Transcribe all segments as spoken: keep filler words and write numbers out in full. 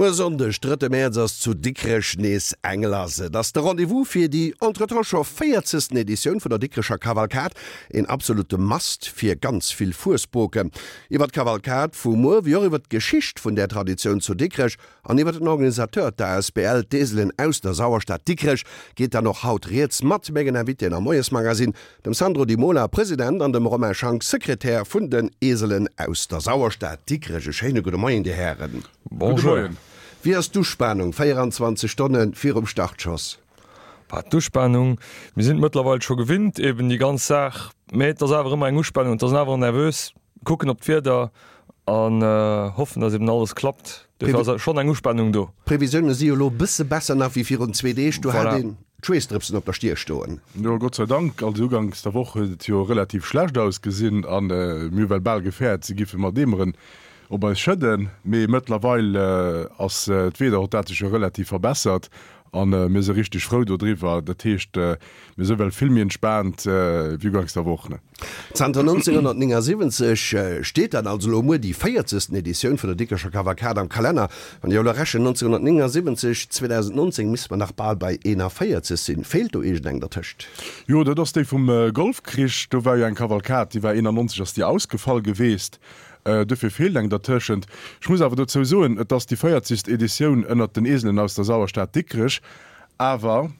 Muer Sonndeg, drëtte Mäerz ass zu Dikrech nees eng lass. Et ass de Rendez-vous fir déi entretemps scho véierzegsten Editioun vun der Dikrecher Kavalkad. Een absolute Must fir ganz vill Fuesboken. Iwwer d'Kavalkad vu muer, wéi och iwwer d'Geschicht vun där Traditioun zu Dikrech an iwwer den Organisateur, d'A S B L D'Eselen aus der Sauerstad Dikrech, geet dann och haut rieds mat mengen Invitéen am Moiesmagazin, dem Sandro Di Mola, President, an dem Romain Schank, Sekretär vun den Eselen aus der Sauerstad Dikrech. E schéine gudde Moien, Dir Hären. Bonjour. Wéi ass d'Uspanung véierundzwanzeg Stonne virum Startschoss? Bah, d'Uspanung, mir sinn et mëttlerweil scho gewinnt, eben déi ganz Saach, mä et ass awer ëmmer eng Uspanung, et ass awer nervös, kucken op d'Wieder an hoffen, dass eben alles klappt. Dofir ass schonn eng Uspanung do. D'Previsioune si jo elo e bësse besser nach wéi virun zwee Deeg, do hat een d'Schweessdrëpsen op der Stier stoen. Jo, Gott sei Dank, also uganks der Woch huet et jo relativ schlecht ausgesinn an mir hu well bal gefäert, se giffe mat Eemeren op eis schëdden, mee mëttlerweil ass d'Wieder huet dat sech jo relativ verbessert a mir si richteg frou dodriwwer. Dat heescht, mir si well vill méi entspaant wéi uganks der Woch. Zanter nonzénghonnertnéngasiwwenzeg steet dann also elo muer déi véierzegsten Editioun vun der Dikrecher Kavalkad am Kalenner. Wann ech elo rechnen, nonzénghonnertnéngasiwwenzeg, zweedausendnonzéng, misste mer nach bal bei eenavéierzeg sinn. Feelt do iergendeng dertëscht? Jo, dat ass déi vum Golfkrich. Do war jo eng Kavalkad, déi war eenannonzeg ass déi ausgefall geweest. Dofir feelt eng dertëschent. Ech muss awer dozou soen, et ass déi véierzegst Editioun ënnert den Eselen aus der Sauerstad Dikrech, awer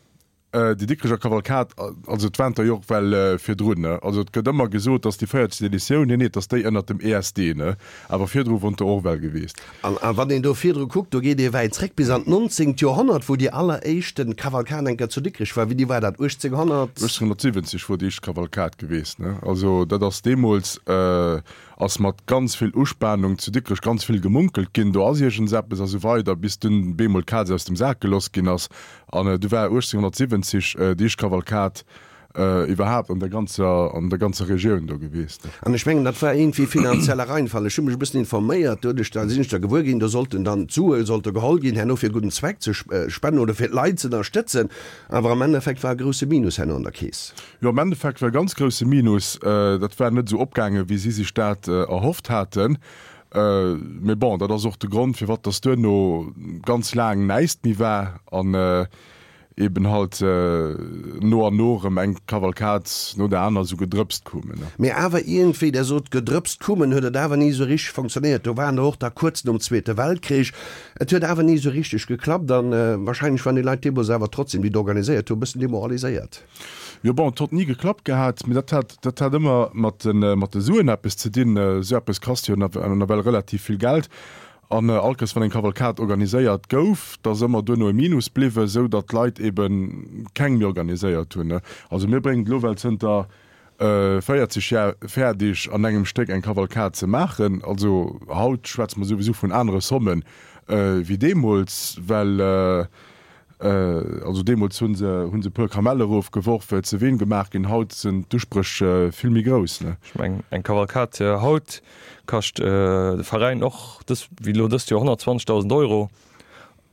déi Dikrecher Kavalkad, also et waren der jo och well virdrun, ne? Also et gëtt ëmmer gesot, et ass déi véierzegst Editioun, nee, nee, et ass déi ënnert dem E S D, ne? Awer virdru won der och well geweest. An wann een do virdru kuckt, do geet ee wäit zréck bis an d'nonzéngt Joerhonnert, wou déi alleréischte Kavalkad eng Kéier zu Dikrech war. Wéini war dat? uechtzénghonnert? uechtzénghonnertsiwwenzeg wor déi éischt Kavalkad geweest, ne? Also dat ass deemools. Ass mat ganz vill Uspanung zu Dikrech ganz vill gemunkelt ginn, do ass iergendseppes a sou weider, bis dunn bemol d'Kaz aus dem Sak geloss ginn ass. An du war uechtzénghonnertsiwwenzeg déi éischt Kavalkad iwwerhaapt an der ganzer, an der ganzer Regioun do gewiesst. An ech mengen, dat war iergendwéi finanzieller Reinfall. Ech hu mech e bëssen informéiert, doduerch da sinn ech da gewuer ginn, do sollten dann d'Sue sollte geholl ginn herno fir gudden Zweck ze spenden oder fir d'Leit ze ënnerstëtzen. Awer am Endeffekt war e grousse Minus herno an der Keess. Jo, am Endeffekt war e ganz grousse Minus. Dat war net esou opgaangen, wéi si sech dat erhofft haten. Mee bon, dat ass och de Grond, firwat dass duerno ganz laang näischt méi war an eben halt no an no erëm eng Kavalkad no der aner esou gedrëpst koumen. Mee awer iergendwéi, Der sot gedrëpst koumen, huet et awer ni esou richteg funktionéiert. Do waren der och da kuerz nom Zweete Weltkrich. Et huet awer ni esou richteg geklappt an wahrscheinlech waren déi Leit deemools awer trotzdem, déi et organiséiert hu, e bëssen demoraliséiert. Jo bon, et hott ni geklappt gehat, mee dat hat, dat hat ëmmer mat de, mat de Suen eppes ze dinn. Esou eppes kascht jo nawell relativ vill Geld. An allkes wann eng Kavalkad organiséiert gouf, da ass ëmmer duerno e Minus bliwwen, esou datt d'Leit ebe keng méi organiséiert hunn. Also mir bréngen et elo well zënter véierzeg Jar fäerdeg an engem Stéck eng Kavalkad ze maachen. Also haut schwätze mer souwisou vun anere Somme wéi deemools, well also deemools hu se hu se e puer Kamelle erofgeworf, et se ween gemaach ginn. Haut sinn d'Uspréch vill méi grouss. Ech mengen eng Kavalkad haut kascht de Veräin och dës, wéi elo dëst Joer, honnertzwanzegdausend Euro.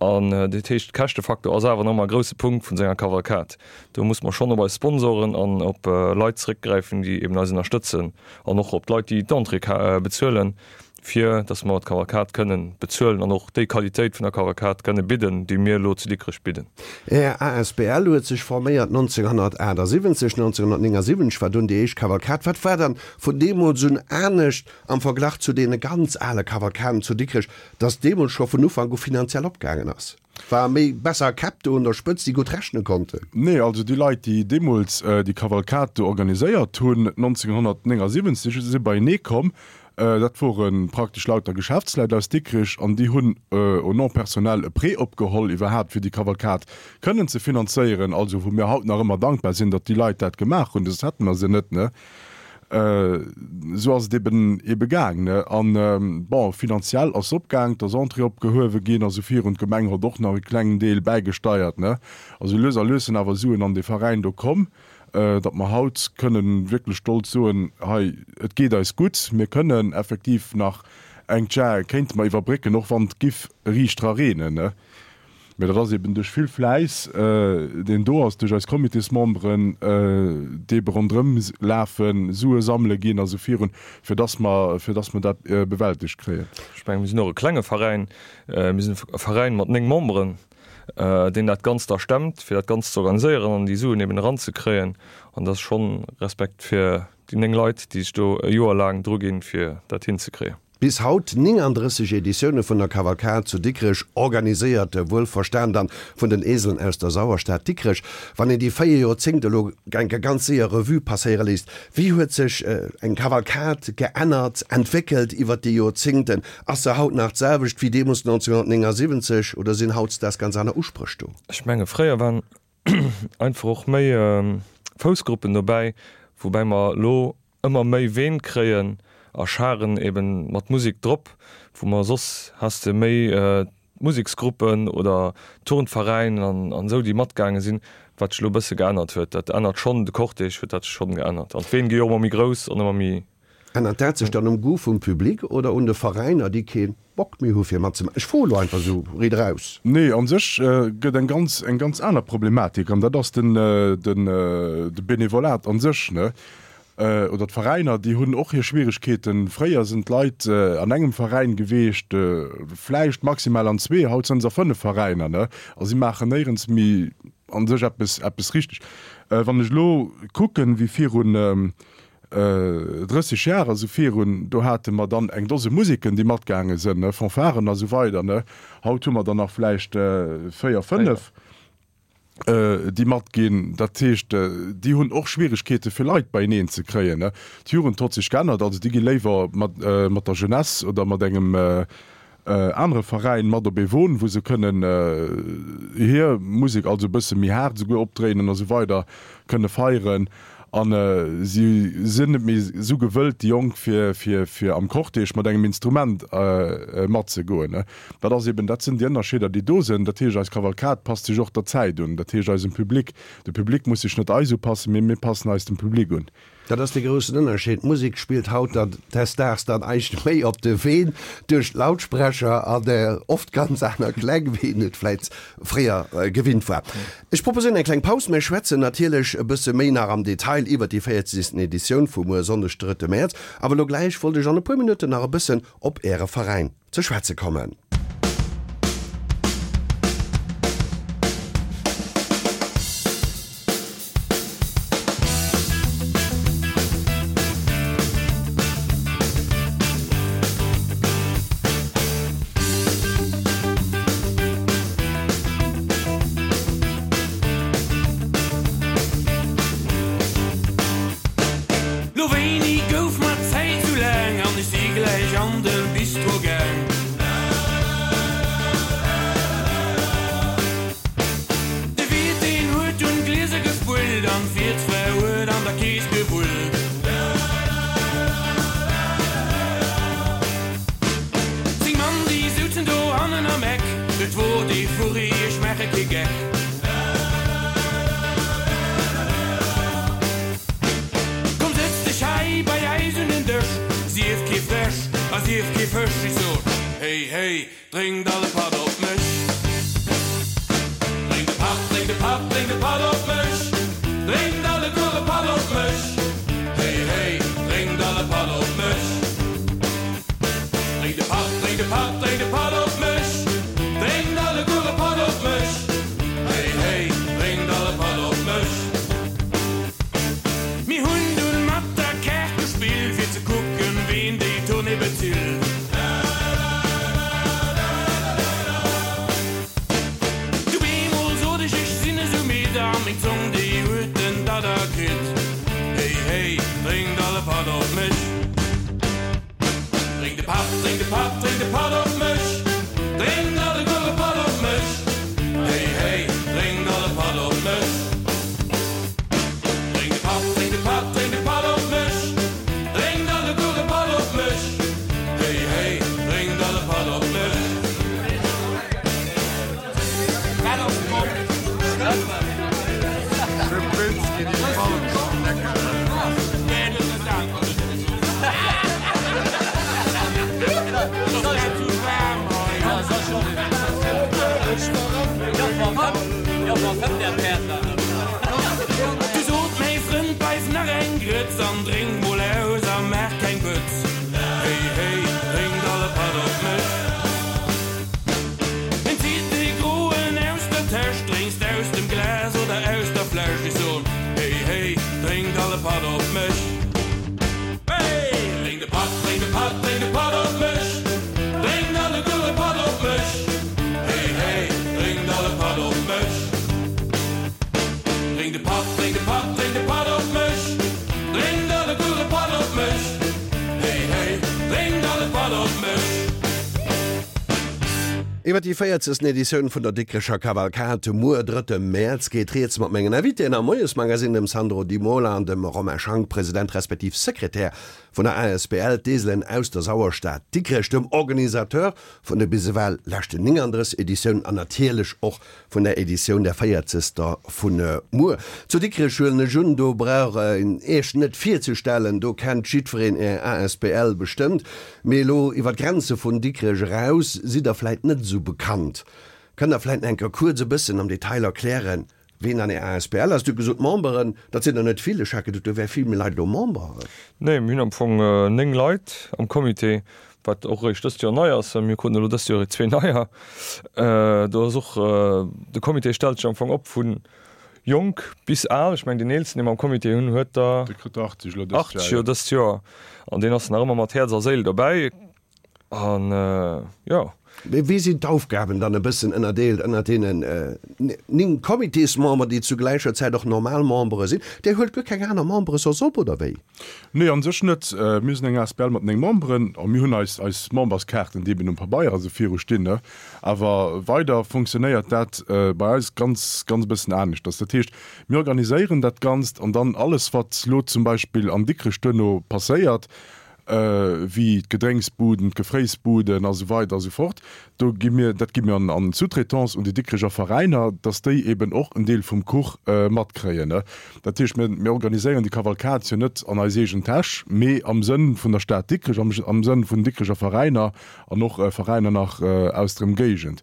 An dat heescht, Käschtefaktor ass awer nach ëmmer e grousse Punkt vun esou enger Kavalkad. Do muss mer schonn op eis Sponsoren an op Leit zeréckgräifen, déi eben eis ënnerstëtzen an och op d'Leit, déi d'Entrée bezuelen, fir dass mer d'Kavalkad kënnen bezuelen an och déi Qualitéit vun der Kavalkad kënne bidden, déi mir elo zu Dikrech bidden. Är A S B L huet sech forméiert nonzénghonnertaachtsiwwenzeg. nonzénghonnertnéngasiwwenzeg war dunn déi éischt Kavalkad. Wat war dann vun deemools un anescht am Verglach zu deene ganz ale Kavalkaden zu Dikrech, dass deemools scho vun Ufank u finanziell opgaangen ass? War méi besser Käpp do un der Spëtzt, déi gutt rechne konnten? Nee, also déi Leit, déi deemools déi Kavalkad do organiséiert hunn, nonzénghonnertnéngasiwwenzeg, si beienee komm. Dat wore praktesch lauter Geschäftsleit aus Dikrech an déi hunn au nom personnel e Prêt opgeholl iwwerhaapt, fir déi Kavalkad kënnen ze finanzéieren. Also wou mir haut nach ëmmer dankbar sinn, datt déi Leit dat gemaach hunn, soss hätte mer se net, ne? Esou ass et eben ebe gaang, ne? An, bon, finanziell ass se opgaang, et ass Entrée opgehuewe ginn a sou virun. D'Gemeng hott och nach e klengen Deel bäigesteiert, ne? Also lues a lues sinn awer Suen an dee Veräin do komm, datt mer haut kënnen wierklech stolz soen, hei, et geet eis gutt, mir kënnen effektiv nach eng Jar kéinte mer iwwerbrécken, och wann et giff riicht dra reenen, ne? Mee dat ass eben duerch vill Fläiss, deen do ass, duerch eis Comitésmemberen, déi ebe ronderëm lafen, Sue sammele ginn a sou virun, fir dass mer, fir dass mer dat bewältegt kréien. Ech mengen, mir sinn och e klenge Veräin. Mir sinn e Veräin mat néng Memberen, deen dat Ganzt da stemmt, fir dat Ganzt ze organiséieren an déi Suen eben eranzekréien. An dat ass schonn Respekt fir déi néng Leit, déi sech do e Joer laang druginn, fir dat hinzekréien. Bis haut néngandrësseg Editioune vun der Kavalkad zu Dikrech, organiséiert wuelverstan dann vun den Eseln aus der Sauerstad Dikrech. Wann een déi véier Joerzéngt elo enke ganz séier Revue passéiere léisst, wéi huet sech eng Kavalkad geännert, entwéckelt iwwert déi Joerzéngten? Ass se haut nach d'selwecht wéi deemools neunzehnhundertnéngundsiwwenzeg oder sinn hautdesdaags ganz aner Uspréch do? Ech menge fréier waren einfach och méi Foussgruppen dobäi, woubäi mer elo ëmmer méi Ween kréien a Scharen eben mat Musek drop, wou mer soss has de méi Museksgruppen oder Turnveräin an an esou déi matgaange sinn, wat sech elo e bësse geännert huet. Dat ännert schonn, de Cortège huet dat schonn geännert an d'Ween gi jo och ëmmer méi grouss an ëmmer méi. Ännert dat sech dann um Goût vum Public oder un de Veräiner, déi kee Bock méi hu fir matzemaachen? Ech froe lo einfach esou riit eraus. Nee, a sech gëtt eng ganz, eng ganz aner Problematik an dat ass den, den, de Benevolat a sech, ne? Oder d'Veräiner, déi hunn och hir Schwieregkeeten. Fréier sinn d'Leit an engem Veräin geweecht, vläicht maximal an zwee, haut sinn se a fënnef Veräiner, ne? A si maachen néierens méi a sech eppes, eppes richteg. Wann ech elo kucken, wéi virun drësseg Jar, also virun, do hate mer dann eng Dose Museken, déi matgaange sinn, ne, Fanfaren a sou weider, ne. Haut hu mer der nach vläicht véier, fënnef, déi matginn. Dat heescht, déi hunn och Schwieregkeete fir Leit beieneen ze kréien, ne. D'Jugend hott sech geännert, also déi gi léiwer mat, mat der Jeunesse oder mat engem anere Veräin mat op ee Won, wou se kënnen hir Musek, also e bësse méi haart esouguer opdréinen a sou weider, kënne feieren. A si sinn net méi esou gewëllt, déi Jonk, fir, fir, fir am Cortège mat engem Instrument matzegoen. Dat ass eben, dat sinn déi Ënnerscheeder, déi do sinn. Dat heescht, eis Kavalkad passt sech och der Zäit un. Dat heescht, eisem Public. De Public muss sech net eis upassen, mee mir passen eis dem Public un. Dat ass dee groussen Ënnerscheed. D'Musek spillt haut dann desdaags dann eischt méi op de Ween duerch d'Lautsprecher an oft ganz aner Kläng, wéi een et vläit fréier gewinnt war. Ech proposéieren eng kleng Paus. Mir schwätzen natierlech e bësse méi nach am Detail iwwert déi véierzegsten Editioun vu muer Sonndeg, drëtte Mäerz. Awer elo gläich wollt ech an e puer Minutten nach e bëssen op Äre Veräin ze schwätze kommen. Lo wéini gouf mer d'Zäit sou laang an ech si gläich an de Bistro gaang. De Wiert deen huet dunn d'Glieser gespullt an d'Wiertsfra huet an der Kees gewullt. Zéng Mann déi souzen do hannen am Eck, et wor d'Euphorie, ech maache kee Geck. Komm sëtz dech hei bei eis un den Dësch, sief kee Fräsch a sief kee Fësch. Ech sot, Hey, hey, drénkt all e Patt op mech. Drénkt e Patt, drénkt e Patt, drénkt e Patt op mech. Drénkt alleguer e Patt op mech. Hey, hey, drénkt all e Patt op mech. Drénkt e Patt, drénkt e Patt, drénkt e Patt op mech. Drénkt alleguer e Patt op mech. Hey, hey, drénkt all e Patt op mech. Mir hunn dunn mat der Kaart gespillt, fir ze kucken, ween déi Tournée bezilt. Iwwer déi véierzegsten Editioun vun der Dikrecher Kavalkad muer, drëtte Mäerz, geet rieds mat mengen Invitéen am Moiesmagazine, dem Sandro Di Mola an dem Romain Schank, President respektiv Sekretär vun der asbl D'Eselen aus der Sauerstad Dikrech, dem Organisateur vun de bis ewell leschten nénganddrësseg Editiounen an natierlech och vun der Editioun, der véierzegster vun muer. Zu Dikrech huelen ech un, do brauch een Iech net virzestellen, do kennt jiddwereen Är asbl bestëmmt. Mee elo iwwer d'Grenze vun Dikrech eraus sidd Der vläit net esou bekannt. Kënnt Der vläit nach eng Kéier kuerz e bëssen am Detail erklären, ween an Är asbl ass? Dir hutt gesot, Memberen, dat sinn der net vill. Ech hat geduet, do wäre vill méi Leit elo Member. Nee, mir hunn am Fong néng Leit am Comité, wat och eréischt dëst Joer nei ass. Mir kruten elo dëst Joer zwee neier. Do ass och, de Comité stellt sech am Fong op vu jonk bis al. Ech mengen, deen eelsten, dee mer am Comité hunn, huet der Dee kritt der achtzeg elo dëst Joer, achtzeg jo dëst Joer. An deen ass nach ëmmer mat Häerz a Séil dobäi. An jo. Mee wéi sinn d'Aufgaben dann e bëssen ënnerdeelt ënnert deenen néng Comitésmemberen, déi zu gläicher Zäit och normal Membere sinn? Dir huelt guer keng aner Membere soss op, oder wéi? Nee, an sech net. Mir sinn eng asbl mat néng Memberen a mir hunn eis eis Memberskaarten, déi eben um Pabeier a sou viru stinn, ne. Awer weider funktionéiert dat bei eis ganz, ganz e bëssen aneschters. Dat heescht, mir organiséieren dat Ganzt an dann alles, wat lo zum Beispill an Dikrech duerno passéiert, wéi d'Gedrénksbuden, d'Gefréisbuden a sou weider a sou fort, do gi mir, dat gi mir an an Sous-traitance un déi Dikrecher Veräiner, dass déi eben och en Deel vum Kuch matkréien. Dat heescht, mir, mir organiséieren déi Kavalkad jo net an eis eegen Täsch, mee am Sënn vun der Stad Dikrech, am, am Sënn vun Dikrecher Veräiner an och Veräiner nach aus der Ëmgéigend.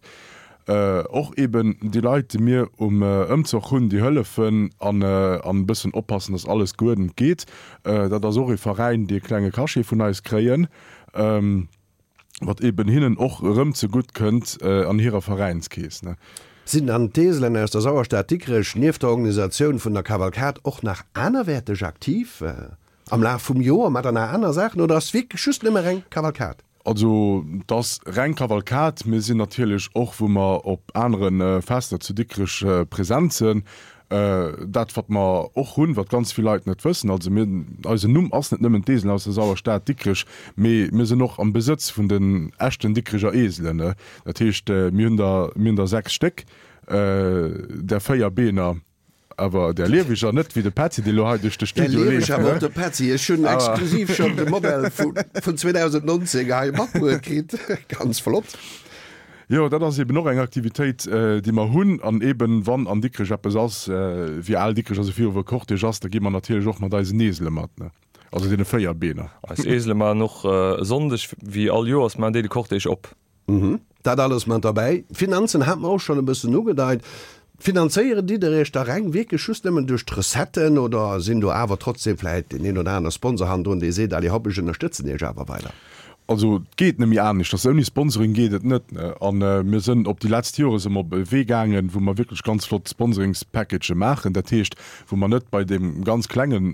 Och eben déi Leit, déi mir um Ëmzoch hunn, déi hëllefen an e bëssen oppassen, dass alles geuerdent geet. Dat ass och ee Veräin, déi e klenge Cachet vun eis kréien, wat eben hinnen och erëm zegutt kënnt an hirer Veräinskeess. Sinn dann d'Eselen aus der Sauerstad Dikrech nieft der Organisatioun vun der Kavalkad och nach anerwäerteg aktiv am Laf vum Joer? Maacht der nach aner Saachen oder ass wierklech just nëmme reng Kavalkad? Also et ass reng Kavalkad. Mir sinn natierlech och, wou mer op anere Fester zu Dikrech present sinn. Dat wat mer och hunn, wat ganz vill Leit net wëssen, also mir, eisen Numm ass net nëmmen d'Eselen aus der Sauerstad Dikrech, mee mir sinn och am Besëtz vun den echten Dikrecher Eselen. Dat heescht, mir hunn der, mir hunn der sechs Stéck, där véier Beener. Awer der lieweger, net wéi de Petzi, dee lo hei duerch de Studio leeft. Der lieweger, awer och de Petzi. Ech hunn exklusiv schonn de Modell vun zweedausendnonzéng hei matbruet kritt. Ganz flott. Jo, dat ass eben och eng Aktivitéit, déi mer hunn. An eben, wann an Dikrech eppes ass, wéi Al Dikrech, also viru wou Cortège ass, da gi mer natierlech och mat eisen Esele mat, ne? Also deene véier Beener. Eis Esele maachen och e Sonndeg, wéi all Joers, maachen déi de Cortège op. Dat alles mat derbäi. D'Finanzen hate mer och schonn e bëssen ugedeit. Finanzéieren ditt der iech da reng wierklech just nëmmen duerch d'Recetten oder sinn do awer trotzdem vläit deen een oder aner Sponsor hannendrun, dee seet, allez hopp, ech ënnerstëtzen iech awer weider? Also et geet net méi aneschters, ouni Sponsoring geet et net. A mir sënn op déi letzt Jore së mer op e Wee gaangen, wou mer wierklech ganz flott Sponsoringspackagë maachen, dat heescht, wou mer net bei deem ganz klenge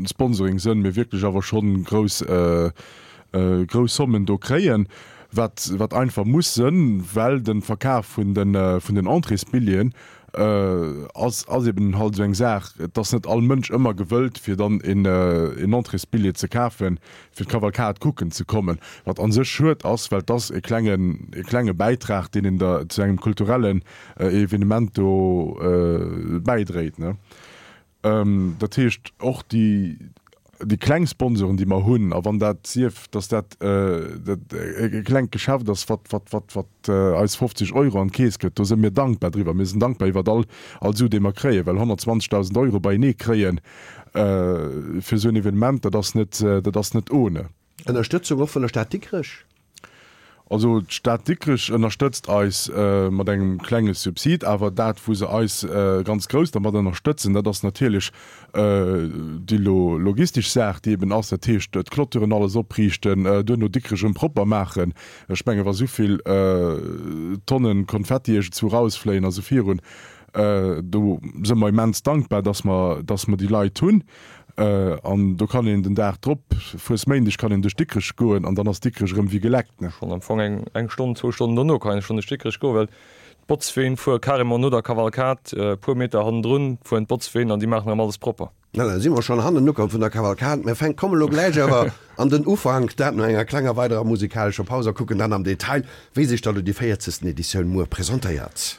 Sponsoring sënn, mee wierklech awer schonn grouss grouss Sommen do kréien, wat wat einfach muss sënn, well de Verkaf vun de vun den Entréesbilleten ass ass eben halt esou eng Saach. Et ass net all Mënsch ëmmer gewëllt fir dann een een Entréesbillet ze kafen, fir d'Kavalkad kucken ze kommen, wat a sech schued ass, well et ass e klengen e klenge Bäitrag, deen een da zu engem kulturellen Evenement do bäidréit, ne. Dat heescht och déi déi kleng Sponsoren, déi mer hunn, a wann dat sief, datt dat e klengt Geschäft ass, wat, wat, wat, wat eis fofzeg Euro an d'Keess gëtt, do si mir dankbar driwwer. Mir sinn dankbar iwwert all, all Su, dee mer kréien, well honnertzwanzegdausend Euro beienee kréien fir esou en Evenement, dat ass net, dat ass net ohne. Ënnerstëtzung och vun der Stad Dikrech? Also d'Stad Dikrech ënnerstëtzt eis mat engem klenge Subsid, awer dat wou se eis ganz grouss dermat ënnerstëtzen, dat ass natierlech déi logistesch Saach, déi eben ass, dat heescht d'Clôturen alles opriichten, duerno Dikrech erëm propper maachen. Ech menge wa souvill Tonnen Konfetti iergendzwou rausfléien a sou virun, do si mer immens dankbar, dass mer, dass mer déi Leit hunn. An do kann een den Dag drop, Fuesméindeg, kann een duerch Dikrech goen an dann ass Dikrech erëm wéi geleckt. Schonn am Fong eng eng Stonn, zwou Stonnen dono kann een schonn duerch Dikrech goen, well d'Botzween fuere carrément no der Kavalkad, e puer Meter hannendrun fueren d'Botzween an déi maachen erëm alles propper. Na, da si mer schonn hannen ukomm vun der Kavalkad. Mir fänk kommen elo gläich awer an den Ufank, dat no enger klenger weiderer musikalescher Paus a kucken dann am Detail, wéi sech da lo déi véierzegsten Editioun muer presentéiert.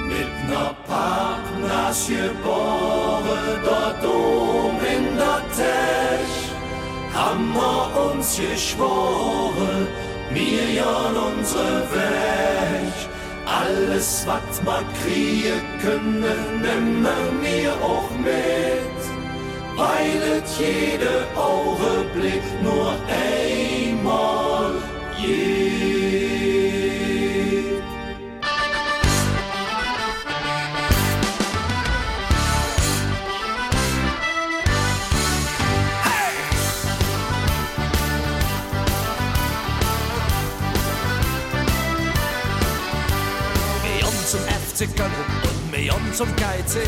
Mit ner Pappnas gebore dort oben in der Täsch, ham mer uns geschwore, mir jon unsre Wäg. Alles wat mer krieje können, nemme mir och mit, weil et jede Augenblick nur einmal geht. Mir jon zum F C Köln und mir jon zum K C.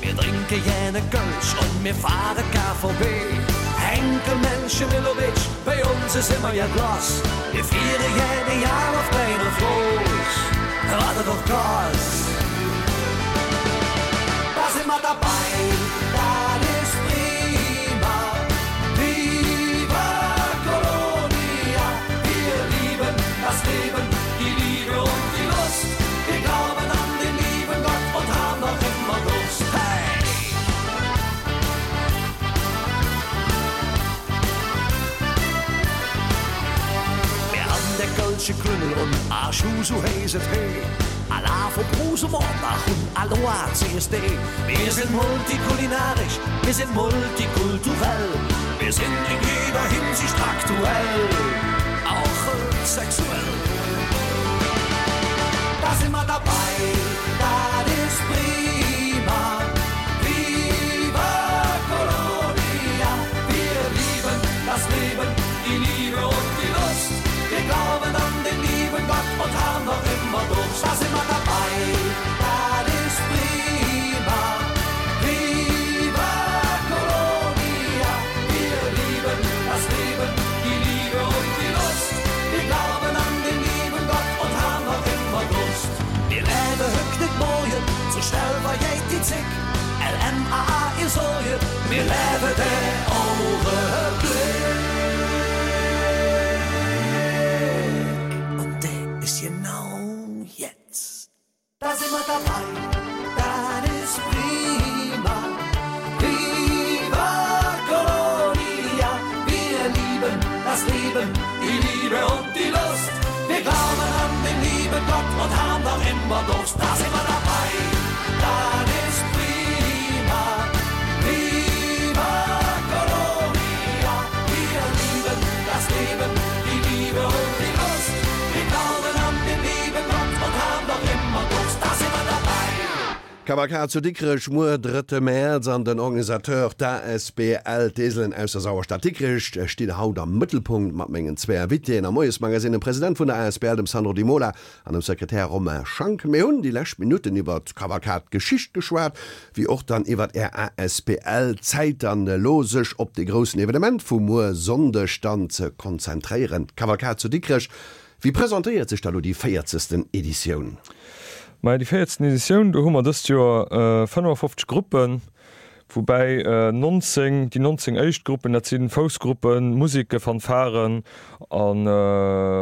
Mir drinke jene Kölsch und mir fahre K V B. Henkel, Menschen, Milovic, bei uns ist immer jet los. Mir viere jene Jahr auf klein of groß. Warte doch Gas. Da sind wir dabei, das ist prima. Viva Colonia, wir lieben das Leben, die Liebe und die Lust. Wir glauben an den lieben Gott und haben noch immer Durst. Hey! Wir haben der Kölsche Klüngel und Arschu, so heiß et hey. Allah von Brusemordach und Aloha C S D. Wir sind multikulinarisch, wir sind multikulturell. Wir sind in jeder Hinsicht aktuell, auch sexuell. Da sind wir dabei, das ist prima. Viva Colonia, wir lieben das Leben, die Liebe und die Lust. Wir glauben an den lieben Gott und haben noch immer Durst. Da sind wir dabei, das ist prima. Viva Colonia, wir lieben das Leben, die Liebe und die Lust. Wir glauben an den lieben Gott und haben noch immer Durst. Wir leben hück nicht morgen, so schnell vergeht die Zick. L M A A, ihr Sorge, wir leben der Augenblick. Und der ist genau jetzt. Da sind wir dabei, das ist prima. Viva Colonia, wir lieben das Leben, die Liebe und die Lust. Wir glauben an den lieben Gott und haben noch immer Durst. Da sind wir dabei, das ist prima. Viva Colonia, wir lieben das Leben, die Liebe und die Lust. Wir glauben an den lieben Gott und haben noch immer Durst. Da sind wir dabei. Kavalkad zu Dikrech muer drëtte Mäerz an den Organisateur d'A S B L D'Eselen aus der Sauerstad Dikrech stinn haut am Mëttelpunkt mat mengen zwee Invitéen am Moiesmagazine, dem President vun der A S B L, dem Sandro Di Mola an dem Sekretär Romain Schank. Mir hunn déi lescht Minutten iwwer d'Kavalkad-Geschicht geschwat, wéi och dann iwwer Är A S B L. Zäit dann elo sech op dee groussen Evenement vu muer Sonndeg dann ze konzentréieren, d'Kavalkad zu Dikrech. Wéi presentéiert sech da lo déi véierzegsten Editioun? Majo, déi véierzegsten Editioun, do hu mer dëst Joer fënnefafofzeg Gruppen, woubäi nonzéng, déi nonzéng éischt Gruppen, dat si Foussgruppen, Museke, Fanfaren a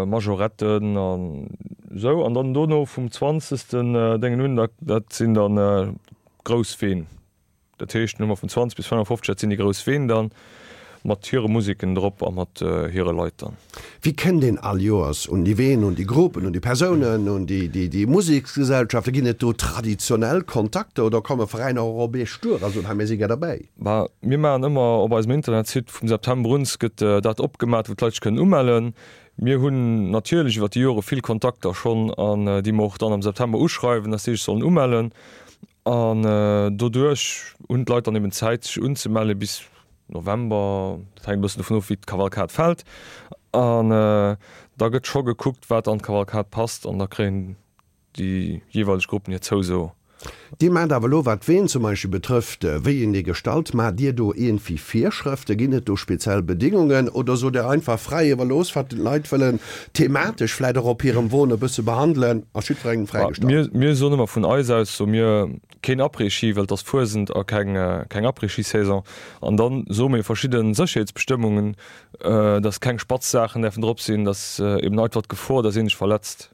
Majoretten an esou. An dann dono vum zwanzegsten Déngen un, dat sinn dann grouss Ween. Dat heescht, Nummer vun zwanzeg bis fënnefafofzeg, dat sinn déi grouss Ween dann mat hire Museken drop a mat hire Leit dann. Wéi kënnt een all Joers un déi Ween, un déi Gruppen, un déi Persounen, un déi, déi, déi Museksgesellschaften? Ginn et do traditionell Kontakter oder komme Veräiner och op Iech duer a soen, hei mir si gär derbäi? Bah, mir maachen ëmmer op eisem Internetsite, vum September un gëtt dat opgemat, wou d'Leit sech kënnen umellen. Mir hunn natierlech iwwer déi Jore vill Kontakter schonn an déi mer och dann am September uschreiwen, dass déi sech sollen umellen. An doduerch hunn d'Leit dann eben Zäit sech unzemelle bis November, dat hänkt e bëssen dovun of wéi d'Kavalkad fält. An da gëtt scho gekuckt wat an d'Kavalkad passt an da kréien déi jeeweileg Gruppen hir Zouso. Dir maacht awer elo, wat d'Ween zum Beispill betrëfft, wéi een déi gestalt, maacht Dir do iergendwéi Virschrëfte? Ginn et do speziell Bedingungen oder sot Der einfach fräi iwwerlooss, wat d'Leit wëllen thematesch vläicht och op hirem Won e bësse behandelen, ass jiddwerengem fräigestallt? Mir soen ëmmer vun eis aus, soe mir, keen Après-Ski, well et ass Fuesent a keng keng Après-Ski-Saison. An dann soe mir verschidde Sécherheetsbestëmmungen, dass keng spatz Saachen däerfen drop sinn, dass eben einfach d'Gefor, dass een sech verletzt,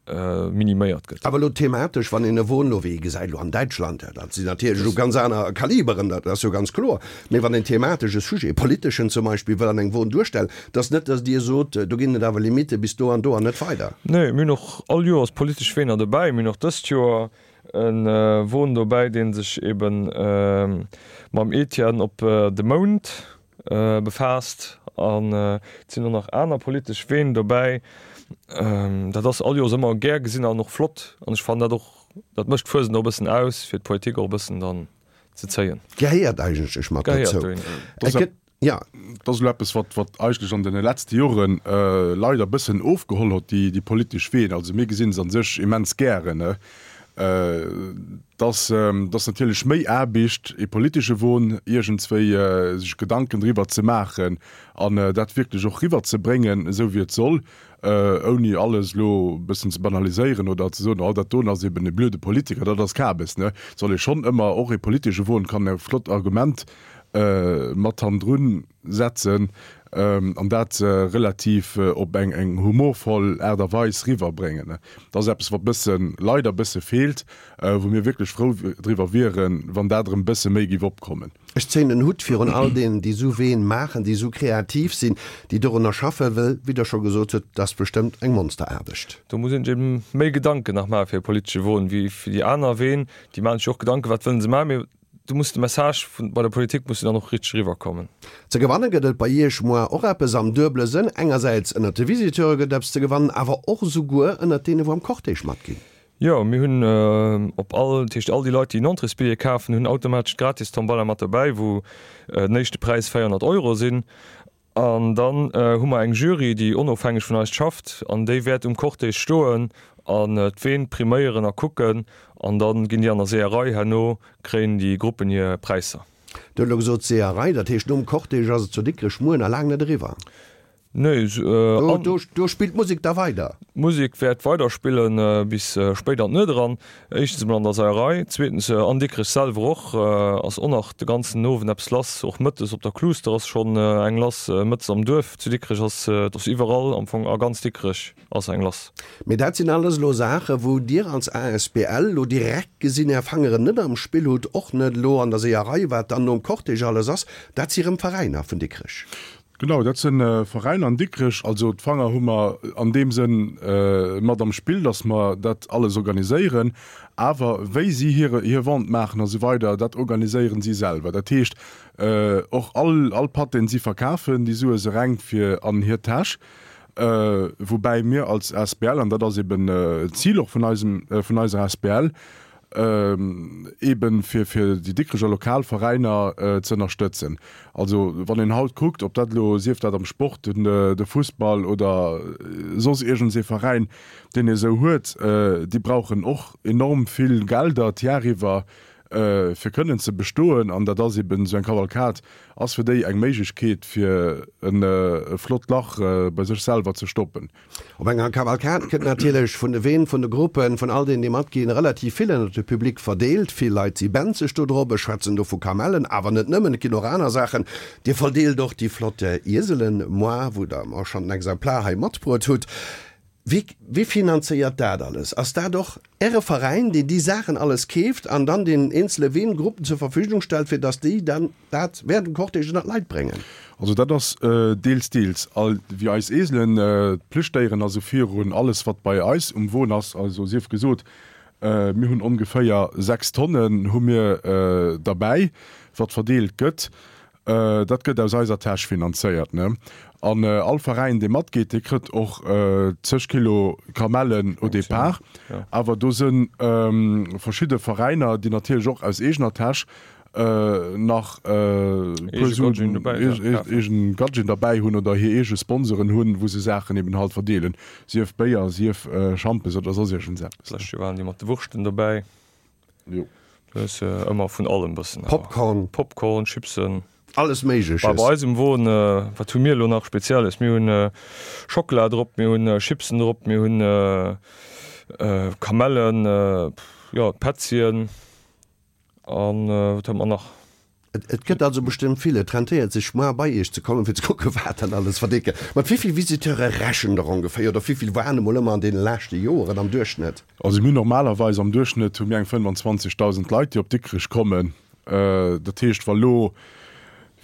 miniméiert gëtt. Awer elo thematesch, wann een e Won elo, wéi ee gesäit elo an Däitschland, dat sinn natierlech elo ganz aner Kaliberen, dat ass jo ganz kloer, mee wann een thematesch e Sujet, e politeschen zum Beispill, wëll an engem Won duerstellen, et ass net, datt Dir sot, do ginn et awer Limitte bis do an do an net weider. Nee, mir hunn och all Joers politesch Weener dobäi. Mir hunn och dëst Joer e Won dobäi, dee sech ebe mam Etienne op de Mound befaasst an et sinn och nach aner politesch Ween dobäi. Dat ass all Joers ëmmer gär gesinn an och flott an ech fannen dat och, dat mécht d'Fuesent och e bëssen aus, fir d'Politik och e bëssen dann ze zéien. Gehéiert eigentlech mat dozou. Et gëtt, jo. Dat ass elo eppes, wat, wat eigentlech an deene letzte Jore leider e bëssen ofgeholl huet, déi, déi politesch Ween. Also mir gesinn se a sech immens gären. Et ass, et ass natierlech méi Aarbecht, ee politesche Won iergendswéi sech Gedanken driwwer ze maachen an dat wierklech och riwwerzebréngen, esou wéi et soll, ouni alles elo e bëssen ze banaliséieren oder ze soen, oh dat doen ass eben e blöde Politiker, dat ass Kabes. Et soll ee schonn ëmmer, och ee politesche Won kann e flott Argument mat hannendrun setzen an dat relativ op eng eng humorvoll Aart a Weis riwwerbréngen. Dat ass eppes, wat bëssen, leider bësse feelt, wou mir wierklech frou driwwer wieren, wann dat erëm bësse méi géif opkommen. Ech zéien den Hutt virun all deenen, déi esou Ween maachen, déi esou kreativ sinn, déi dorunner schaffen, well, wéi Der scho gesot hutt, dat ass bestëmmt eng Monsteraarbecht. Do muss een sech eben méi Gedanken nach maache fir e politesche Won wéi fir déi aner Ween. Déi maachen sech och Gedanken, wat wëllen se maachen, mee Du muss de Message vun bei der Politik muss dann och richteg eriwwerkommen. Ze gewanne gëtt et bei Iech moar och eppes am duebele Sënn, engersäits ënnert de Visiteure gëtt eppes ze gewannen, awer och esouguer ënnert deene wou am Cortège matginn. Jo, mir hunn op all, dat heescht all déi Leit déi en Entréesbilljee kafen, hunn automatesch d'gratis Tombola mat dobäi, wou den éischte Präis véierhonnert Euro sinn. An dann hu mer eng Jury, déi onofhängeg vun eis schafft an déi wäert um Cortège stoen an d'Ween priméieren a kucken. An da ginn déi an der Seeërei, herno kréien déi Gruppen hir Präisser. Dir hutt elo gesot Seeërei, dat heescht nom Cortège ass et zu Dikrech muer nach laang net eriwwer? Nee, an. Do spillt d'Musek da weider? D'Musek wäert weider spillen bis spéit an d'Nuet eran. Éischtens emol an der Seierei, zweetens an Dikrech selwer och ass och nach de ganzen Owend eppes lass. Och mëttes op der Kluuster ass schonn eng lass, mëttes am Duerf zu Dikrech ass, et ass iwwerall am Fong a ganz Dikrech ass eng lass. Mee dat sinn alles elo Saachen, wou Dir als asbl elo direkt gesinn Är Fangeren net am Spill hutt, och net elo an der Seeërei, wat dann nom Cortège alles ass. Dat si rëm Veräiner vun Dikrech. Genau, dat sinn Veräiner an Dikrech. Also d'Fanger hu mer an deem Sënn mat am Spill, datt mer dat alles organiséieren. Awer wéi si hire hir Vente maachen a sou weider, dat organiséieren si selwer. Dat heescht, och all all Patt, deen si verkafen, déi Sue se reng fir an hir Täsch. Woubäi mir als asbl, an dat ass eben d'Zil och vun eisem vun eiser asbl, eben fir fir déi Dikrecher lokal Veräiner ze ënnerstëtzen. Also wann een haut kuckt, ob dat elo, sief dat am Sport, den de Fussball oder soss iergends ee Veräin, deen ee sou huet, déi brauchen och enorm vill Gelder d'Jar iwwer fir kënnen ze bestoen. An dat ass eben, esou eng Kavalkad ass fir déi eng Méiglechkeet fir e flott Lach bei sech selwer ze stoppen. Op enger Kavalkad kënnt natierlech vun de Ween, vun de Gruppen, vun all deenen, déi matginn, relativ vill ënnert de Public verdeelt. Vill Leit si benzeg do drop. Ech schwätzen do vu Kamellen, awer net nëmmen, et ginn och aner Saachen. Dir verdeelt och déi flott Ieselen, moi, wou Der mer schonn en Exemplar hei matbruet hutt. Wie, wie finanzéiert dat alles? Ass dat och Äre Veräin, deen déi Saachen alles keeft an dann den eenzele Weengruppen zur Verfügung stellt, fir dass déi dann dat während dem Cortège ënnert d'Leit bréngen? Also dat ass deels, deels. All, wéi eis Eselen, d'Plüschdéieren, also virun alles wat bei eis um Won ass, also sief gesot, mir hunn ongeféier sechs Tonnen hu mir derbäi, wat verdeelt gëtt. Dat gëtt aus eiser Täsch finanzéiert, ne? An all Veräin, dee matgeet, dee kritt och zeg Kilo Kamellen au départ. Awer do si verschidde Veräiner, déi natierlech och aus eegener Täsch nach e puer Suen, eegen Gadgeten derbäi hunn oder hir eege Sponsoren hunn, wou se Saachen eben halt verdeelen, sief Béier, sief Schampes oder soss iergendseppes. D'lescht Joer waren déi mat de Wurschten dobäi. Jo. Du hues ëmmer vun allem bëssen. Popcorn. Popcorn, Chipsen. Alles Méigleches. Bah, bei eis um Won, wat hu mir elo nach Spezielles? Mir hunn Schockela drop, mir hunn Chipsen drop, mir hunn Kamellen, jo, Petzien an wat hu mer nach? Et gëtt also bestëmmt vill. Et rentéiert sech mar bei iech ze kommen, fir ze kucken, wat dann alles verdécke. Mat wéi vill Visiteure rechent der ongeféier oder wéi vill waren emol ëmmer an deene leschte Joren am Duerchschnëtt? Also mir hunn normalerweis am Duerchschnëtt hu mir eng fënnwanzwanzegdausend Leit, déi op Dikrech kommen. Dat heescht, wa lo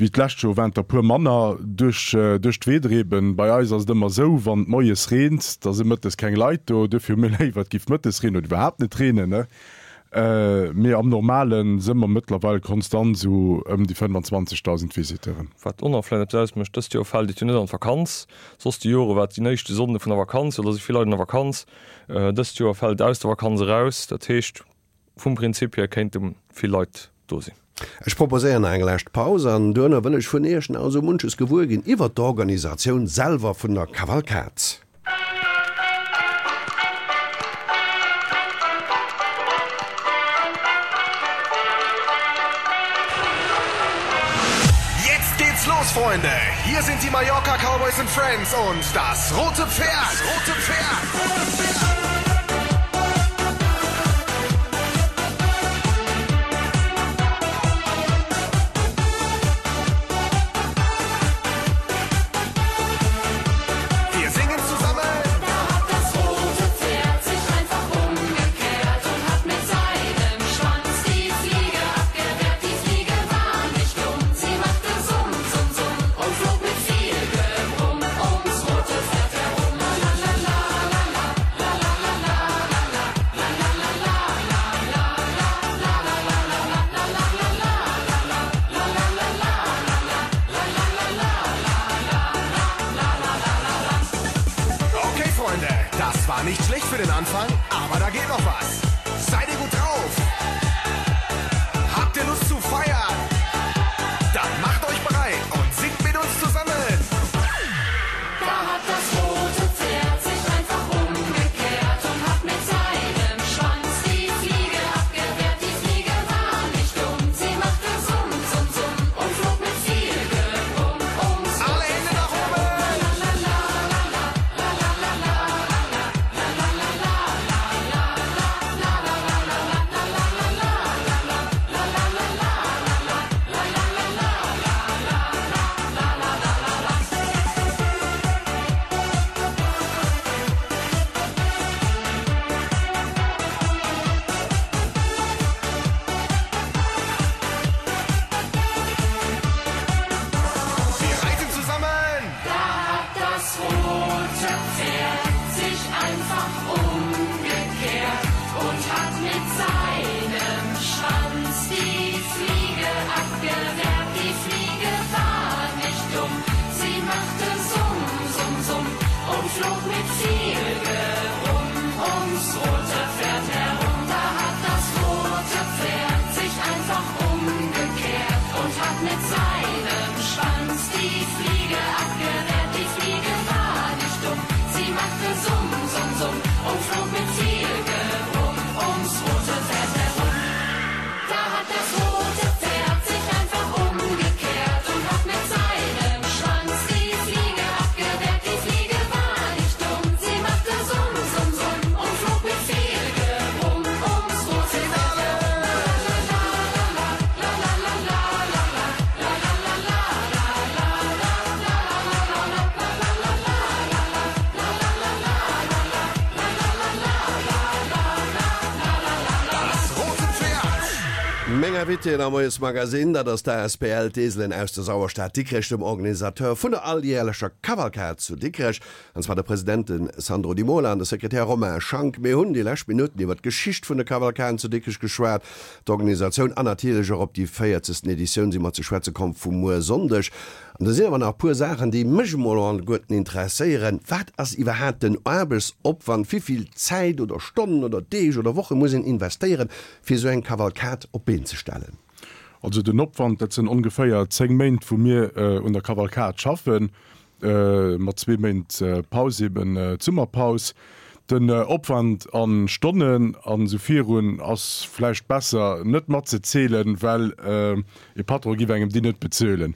wéi d'lescht Joer waren et der e puer manner duerch duerch d'Weeder eben. Bei eis ass et ëmmer esou, wann et moies reent, da si mëttes keng Leit do. Duerfir hu mir léiwer, et géif mëttes reenen oder iwwerhaapt net reenen, ne. Mee am Normale si mer mëttlerweil konstant esou ëm déi fënnwanzwanzegdausend Visiteuren. Wat och nach vläicht eppes ausmécht, dëst Joer fält et jo net an d'Vakanz. Soss déi Jore war et déi éischte Sonnde vun der Vakanz, oder si vill Leit an der Vakanz. Dëst Joer fält et aus der Vakanz eraus. Dat heescht, vum Prinzip hier kéinte vill Leit do sinn. Ech proposéieren nach eng lescht Paus an duerno wëll ech vun Iech nach esou munches gewuer ginn iwwert d'Organisatioun selwer vun der Kavalkad. Jetzt geht's los, Freunde! Hier sind die Mallorca Cowboys and Friends und das rote Pferd! Das rote Pferd! Wir singen zusammen. Da hat das rote Pferd sich einfach umgekehrt und hat mit seinem Schwanz die Fliege abgewehrt. Die Fliege war nicht dumm, sie machte Summ, Summ, Summ und flog mit viel Gebrumm ums rote Pferd herum. La la la la la la la la la la la la la la la Okay, Freunde, das war nicht schlecht für den Anfang, aber da geht noch was. Seid ihr gut drauf? Habt ihr Lust zu feiern? Dann macht euch bereit und singt mit uns zusammen. Da hat das rote Pferd sich einfach umgekehrt und hat mit seinem Schwanz die Fliege abgewehrt. Die Fliege war nicht dumm, sie machte Summ, Summ, Summ und flog mit viel Gebrumm ums Alle Hände nach oben! Wir reiten zusammen! Da hat das rote Pferd sich einfach umgekehrt und hat mit seinem Schwanz die Fliege abgewehrt. Die Fliege war nicht dumm, sie machte Summ, Summ, Summ und flog mit viel Gebrumm ums rote Pferd herum. Da hat das rote Pferd sich einfach umgekehrt und hat mit seinem Schwanz die Fliege abgewehrt. Die Fliege war nicht dumm, sie machte Summ, Summ, Summ und flog mit viel Gebrumm ums rote Pferd herum. Da hat das rote Pferd sich einfach umgekehrt und hat mit seinem Schwanz die Fliege abgewehrt. Die Fliege war nicht dumm, sie machte Summ, Summ, Summ und flog mit viel Gebrumm ums rote Pferd herum. Das rote Pferd! Meng Invitéen am Moiesmagazin, dat ass d'A S B L D'Eselen aus der Sauerstad Dikrech, dem Organisateur vun der alljärlecher Kavalkad zu Dikrech, an zwar de President de Sandro Di Mola an de Sekretär Romain Schank. Mir hunn déi lescht Minutten iwwer d'Geschicht vun der Kavalkad zu Dikrech geschwat, d'Organisatioun an natierlech och op déi véierzegsten Editioun si mer ze schwätze komm vu muer Sonndeg. An do sinn awer nach e puer Saachen, déi mech emol alleguerten interesséieren. Wat ass iwwerhaapt den Aarbechtsopwand? Wéi vill Zäit oder Stonnen oder Deeg oder Woche muss een investéieren, fir esou eng Kavalkad op d'Been ze stellen? Also den Opwand, dat sinn ongeféier zéng Méint, wou mir un der Kavalkad schaffen, mat zwee Méint Paus, eben d'Summerpaus. Den Opwand a Stonnen an esou virun ass vläicht besser net matzezielen, well e Patron giff engem déi net bezuelen.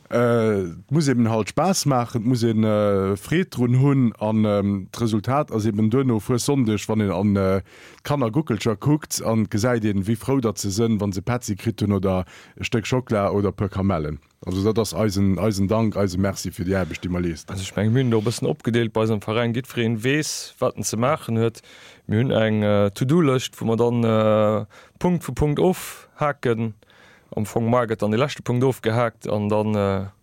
Et muss eben halt Spaass maachen, et muss ee Freed drun hunn an d'Resultat ass eben duerno Fuessonndeg, wann een an d'Kannerguckelcher kuckt an gesäit een, wéi frou datt se sënn, wa se Petzi kritt hunn oder e Stéck Schockla oder e puer Kamellen. Also dat ass eisen, eisen Dank, eise Merci fir déi Aarbecht, déi mer leeschten. Also ech menge mir hunn do e bëssen opgedeelt bei eisem Veräin, jiddwereen weess, wat en ze maachen huet. Mir hunn eng To-do-Lëscht, wou mer dann Punkt fir Punkt ofhaken. Am Fong mar gëtt dann dee leschte Punkt ofgehaakt an dann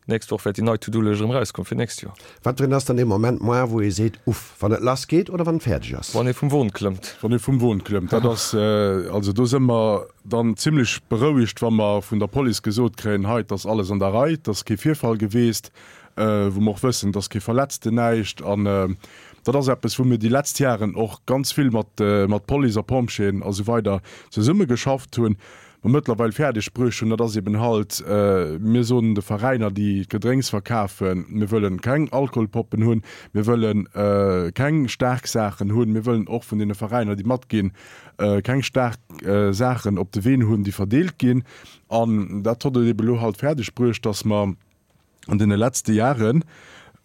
d'nächst Woch wäert déi nei To-do-Lëscht erëm erauskommen fir d'nächst Joer. Wat drin ass dann dee Moment moar, wou ee seet, Uff, wann et lass geet oder wann et fäerdeg ass? Wann ee vum Won klëmmt. Wann ee vum Won klëmmt, dat ass, also do si mer dann zimlech berouegt, wa mer vun der Police gesot kréien, hei, et ass alles an der Rei, et ass kee Virfall geweest, wou mer och wëssen, et ass kee Verletzten, näischt. An dat ass eppes, wou mir déi letzt Jaren och ganz vill mat, mat Police a Pompjeeën a sou weider zesummegeschafft hunn. Mer mëttlerweil fäerdeg bruecht hunn, dat ass eben halt, mir soen de Veräiner, déi d'Gedrénks verkafen, mir wëllen keng Alkoholpoppen hunn, mir wëlle keng staark Saachen hunn, mir wëllen och vun deene Veräiner, déi matginn, keng staark Saachen op de Ween hunn, déi verdeelt ginn. An dat huet et eben elo halt fäerdeg bruecht, dass mer an deene letzte Jahre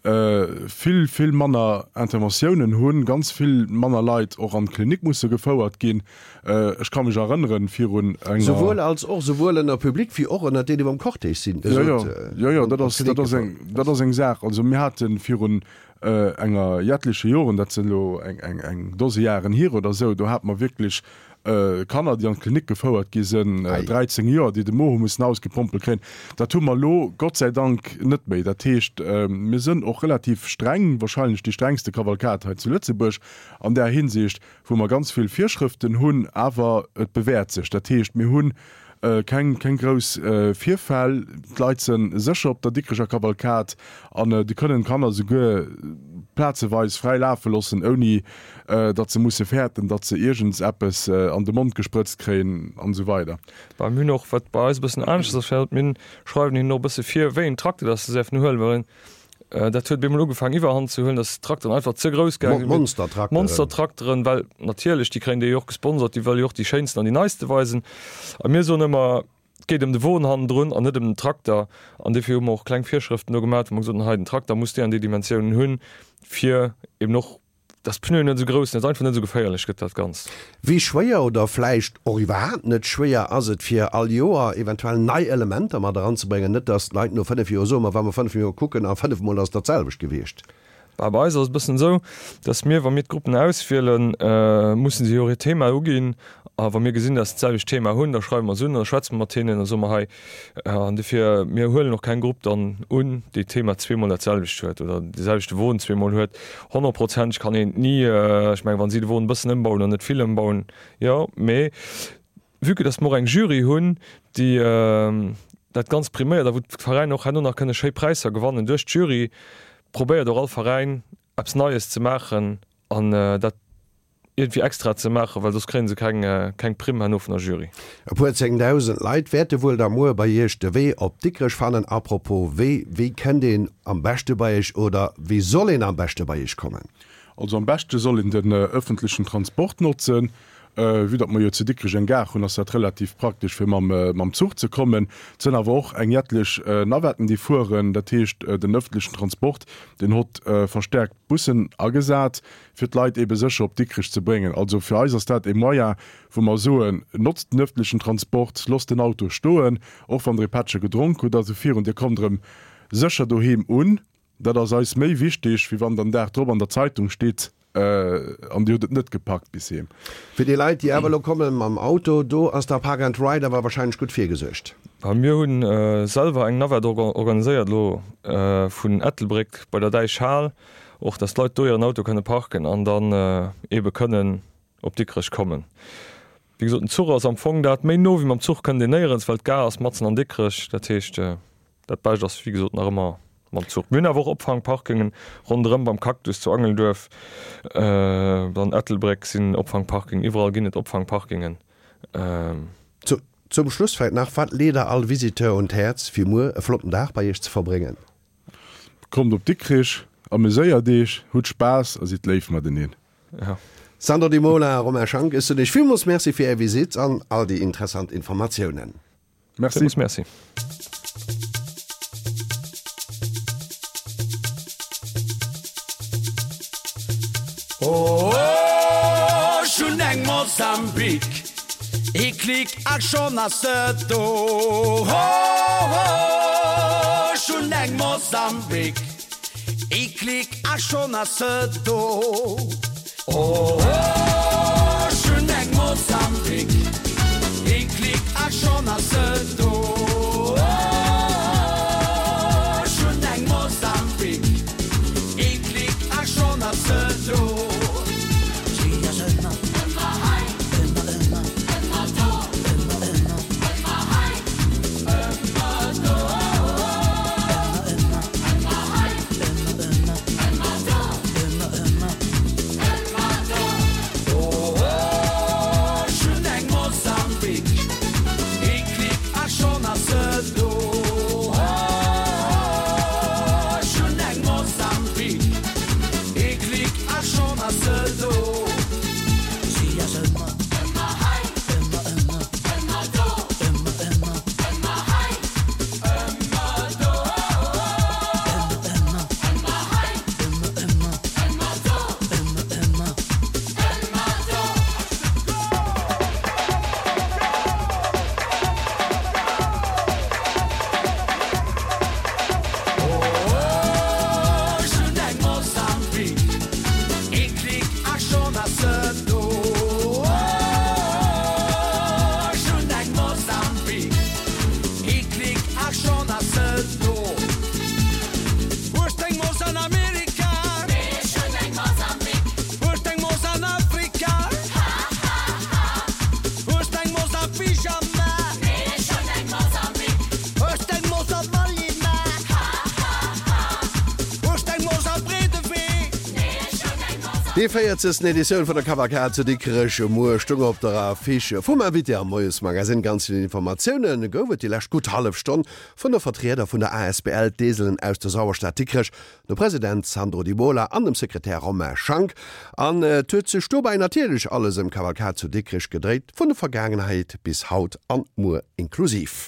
vill, vill manner Interventiounen hunn, ganz vill manner Leit och an d'Klinik musse gefouert ginn. Ech ka mech erënneren, virun enger. Souwuel als och, souwuel ënner Public wéi och ënner deenen, déi am Cortège sinn. Jo, jo, jo, jo, dat ass, dat ass eng, dat ass eng Saach. Also mir hate virun enger jettleche Joren, dat sinn elo eng, eng, eng Dose Jaren hier oder esou, do hate mer wierklech Kanner, déi an d'Klinik gefouert gi sinn, dräizéng Joer, déi de Mo hu mussen ausgepompelt kréien. Dat hu mer elo Gott sei Dank net méi. Dat heescht, mir sinn och relativ streng, wahrscheinlech déi strengste Kavalkad hei zu Lëtzebuerg an där Hinsicht, wou mer ganz vill Virschrëften hunn, awer et bewäert sech. Dat heescht, mir hu keng, keng grouss Virfäll, d'Leit se sécher op der Dikrecher Kavalkad an déi kënnen d'Kanner souguer plazeweis fräi lafe loossen, ouni datt se musse fäerten, datt se iergends eppes an de Mond gesprëtzt kréien an esou weider. Bah, mir hunn och, wat bei eis e bëssen aneschters ass, mir schreiwen hinnen och e bësse vir, wéi een Trakter datt se däerfen huelen, well Dat huet bemol ugefaangen iwwerhand ze huelen, dass d'Trakteren einfach ze grouss gaange sinn. Monstertrakteren. Monstertrakteren, well natierlech, déi kréien déi jo och gesponsert, déi wëlle jo och déi schéinsten an déi neiste weisen. A mir soen ëmmer, et geet ëm de Won hannendrun an net ëm den Trakter. An dofir hu mer och kleng Virschrëften do gemaach, wou mer gesot hunn, hei den Trakter muss déi an déi Dimensiounen hunn, fir eben och Dass d'Pneuen net esou grouss sinn, dass einfach net esou geféierlech gëtt dat Ganzt. Wéi schwéier oder vläicht och iwwerhaapt net schwéier ass et fir all Joer eventuell nei Elementer mat eranzebréngen, net dass d'Leit no fënnef Joer soen, ma wa mer fënnef Joer kucken a fënnef mol ass dat selwecht gewiescht. Bah, bei eis ass et e bëssen esou, dass mir, wa mir d'Gruppen auswielen, mussen se jo och hiert Thema uginn A wa mir gesinn, dass se d'selwecht Thema hunn, da schreiwe mer se un an da schwätze mer mat hinnen a soe mer hei, an dofir, mir huelen och keng Grupp dann un, déi d'Thema zweemol dat selwecht huet oder dee selwechte Won zweemol huet. Honnertprozenteg kann een et ni, ech mengen, wa si de Won e bëssen ëmbauen oder net vill ëmbauen, jo, mee vue que dass mer och eng Jury hunn, déi dat Ganzt priméiert a wou d'Veräiner och herno nach kënne schéi Präisser gewannen duerch d'Jury, probéiert och all Veräin eppes Neies ze maachen an dat iergendwéi extra ze maachen, well soss kréien se keng keng Primm herno vun der Jury. E puer zéngdausend Leit wäerte wuel da muer bei Iech de Wee op Dikrech fannen. A propos Wee, wéi kënnt een am beschte bei Iech oder wéi soll een am beschte bei Iech kommen? Also am beschte soll een den ëffentlechen Transport notzen. Vue datt mer jo zu Dikrech eng Gare hunn, ass dat relativ praktesch fir mam mam Zuch ze kommen. Et sënn awer och eng jetlech Navetten déi fueren, dat heescht den ëffentlechen Transport deen hott verstärkt Bussen agesat. fir d'Leit eebe sécher op Dikrech ze bréngen. Also fir eis ass dat e Moyen, wou mer soen, Notzt den ëffentlechen Transport, losst den Auto stoen, och wann Der e Pättche gedronk hutt a sou virun, Dir kommt erëm sécher doheem un. Dat ass eis méi wichtig, wéi wann den Dag drop an der Zeitung steet, an Dir hutt et net gepackt bis heem. Fir déi Leit, déi awer elo komme mam Auto, do ass der Park and Ride awer wahrscheinlech gutt virgesuergt. Mir hunn selwer eng Navette organiséiert elo vun Ettelbréck bei der Däichhal. Och dass d'Leit do hiren Auto kënne parken an dann eebe kënnen op Dikrech kommen. Wéi gesot, den Zuch ass am Fong dat méi no wéi mam Zuch kënnt een néierens, well d'Gare ass matzen an Dikrech. Dat heescht, dat Bescht ass wéi gesot nach ëmmer mam Zuch. Mir hunn awer och Opfangparkingen ronderëm, beim Cactus zu Angelduerf, an Ettelbréck sinn Opfangparkingen, iwwerall ginn et Opfangparkingen. Zum Schluss vläicht nach, Wat leet Der all Visiteur un d'Häerz, fir muer e flotten Dag bei Iech ze verbréngen? Kommt op Dikrich, ameséiert Eech, hutt Spaass a sidd léif mateneen. Ja. Sandro Di Mola, Romain Schank, ech soen iech villmools Merci fir är Visitt an all déi interessant Informatiounen. Merci. Villmools Merci. Oh, ech hunn eng Mosambik, ee Klick a schonn ass se do. Oh, ech hunn eng Mosambik, ee Klick a schonn ass se do. Oh, ech hunn eng Mosambik, ee Klick a schonn ass se do. Oh, ech hunn eng Mosambik, ee Klick a schonn ass se do. Si ass ëmmer, ëmmer hei, ëmmer, ëmmer, ëmmer do, ëmmer, ëmmer, ëmmer hei, ëmmer do, ëmmer, ëmmer, ëmmer hei, ëmmer, ëmmer, ëmmer do, ëmmer, ëmmer, ëmmer do. Oh, ech hunn eng Mosambik, ee Klick a schonn ass se do. Oh, ech hunn eng Mosambik, ee Klick a schonn ass se do. Si ass ëmmer, ëmmer hei, ëmmer, ëmmer, ëmmer do, ëmmer, ëmmer, ëmmer hei, ëmmer do, ëmmer, ëmmer, ëmmer hei, ëmmer, ëmmer, ëmmer do, ëmmer, ëmmer, ëmmer do. Oh, ech hunn eng Mosambik, ee Klick a schonn ass se do. Oh, ech hunn eng Mosambik, ee Klick a schonn ass se do. Hues d'eng Mos an Amerika? Nee, ech hunn eng Mosambik. Hues d'eng Mos an Afrika? Ha, ha, ha. Hues d'eng Mos a Pyjama? Nee, ech hunn eng Mosambik. Hues d'eng Mos a Malima? Ha, ha, ha. Hues d'eng Mos a Breedewee? Déi véierzegsten Editioun vun der Kavalkad zu Dikrech muer stoung op der Affiche vum Invité am Moiesmagazine. Ganz vill Informatioune gouf et déi lescht gutt hallef Stonn vun de Vertrieder vun der asbl D'Eselen aus der Sauerstad Dikrech, dem President Sandro Di Mola an dem Sekretär Romain Schank. An et huet sech dobäi natierlech alles ëm d'Kavalkad zu Dikrech gedréit, vun der Vergaangenheet bis haut an muer inklusiv.